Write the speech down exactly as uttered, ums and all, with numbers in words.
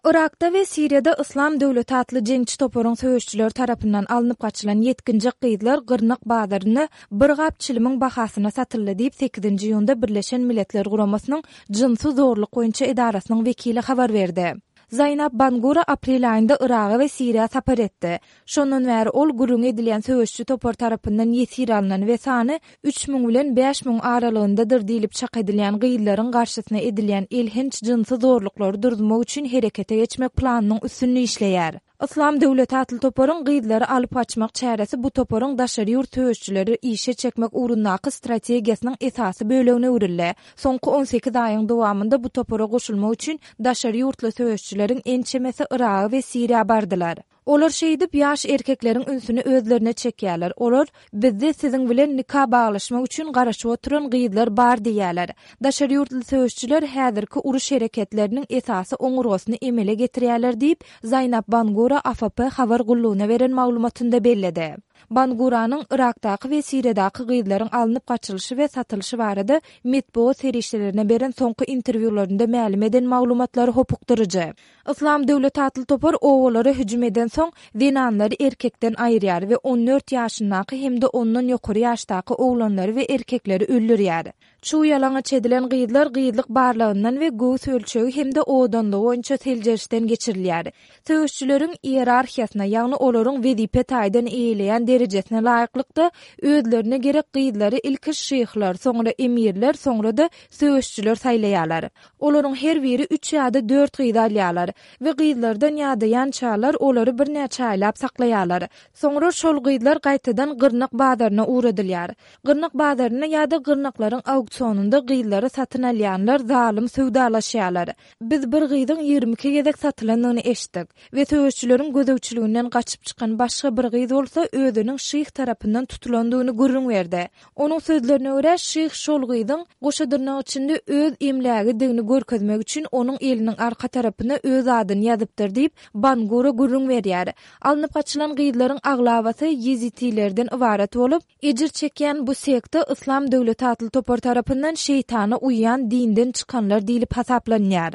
Yrakda we Siriýada Yslam döwleti atly jeňçi toparyň söweşçileri tarapyndan alnyp gaçylan ýetginjek gyzlar gyrnak bazarynda bir gap çilimiň bahasyna satyldy diýip, sekizinji iýunda Birleşen Milletler Guramasynyň jynsy zorluk boýunça edarasynyň wekili habar berdi. Zaýnab Bangura aprel aýynda Yraga we Siriýa sapar etdi. Şondan bäri ol gürrüňi edilýän söweşçi topar tarapyndan ýesir alnan we sany üç müň bilen bäş müň aralygyndadyr diýlip çak edilýän gyzlaryň garşysyna edilýän elhenç jynsy zorluklary duruzmak üçin herekete geçmek planynyň üstünde işleýär. Yslam döwleti atly toparyň gyzlary alyp gaçmak çäresi bu toparyň daşary ýurt söweşçileri işe çekmek ugrundaky strategiýasynyň esasy bölegine öwrüldi. Soňky on sekiz aýyň dowamynda bu topara goşulmak üçin daşary ýurtly söweşçileriň ençemesi Yraga we Siriýa bardylar. Olar şeýdip ýaş erkekleriň ünsüni özlerine çekýärler. Olar, Bizde siziň bilen nika baglaşmak üçin garaşyp oturan gyzlar bar diýýärler. Daşary ýurtly söweşçiler häzirki uruş hereketleriniň esasy oňurgasyny emele getirýärler diýip, Zaýnab Bangura A F P habar gullugyna beren maglumatynda belledi. Banguranyň Yrakdaky we Siriýadaky gyzlaryň alnyp gaçylyşy we satylyşy barada metbugat serişdelerine beren soňky interwýularynda mälim eden maglumatlary hopukdyryjy. Yslam döwleti atly topar obalara hüjüm edensoň, zenanlary erkekden aýyrýar we on dört ýaşyndaky hem-de ondan ýokary ýaşdaky oglanlary we erkekleri öldürýär. Çuw ýalaňaç edilen gyzlar gyzlyk barlagyndan we göwüs ölçegi hem-de owadanlygy boýunça seljerişden geçirilýär. Söweşçileriň iýerarhiýasyna, ýagny olaryň wezipe taýdan eýeleýän derejesine laýyklykda özlerine gerek gyzlary ilki şyhlar, soňra emirler, soňra-da söweşçiler saýlaýarlar. Olaryň her biri üç ýa-da dört gyzy alýarlar we gyzlardan ýadaýançalar olary birnäçe aýlap saklaýarlar. Soňra şol gyzlar gaýtadan gyrnak bazaryna ugradylýar. Gyrnak bazarynda ýa-da gyrnaklaryň auksionynda gyzlary satyn alýanlar zalym söwdalaşýarlar. Biz bir gyzyň ýigrimi iki gezek satylandygyny eşitdik we söweşçileriň gözegçiliginden gaçyp çykan başga bir gyz bolsa özüniň şyh tarapyndan tutulandygyny gürrüň berdi. Onuň sözlerine görä, şyh şol gyzyň goşa dyrnak içinde öz emlägidigini görkezmek üçin onuň eliniň arka tarapyna öz adyny ýazypdyr diýip, Bangura gürrüň berýär. Alnyp gaçylan gyzlaryň aglabasy ýezitilerden ybarat bolup, ejir çekýän bu sekta Yslam döwleti atly topar tarapyndan şeýtana uýýan dinden çykanlar diýlip hasaplanýar.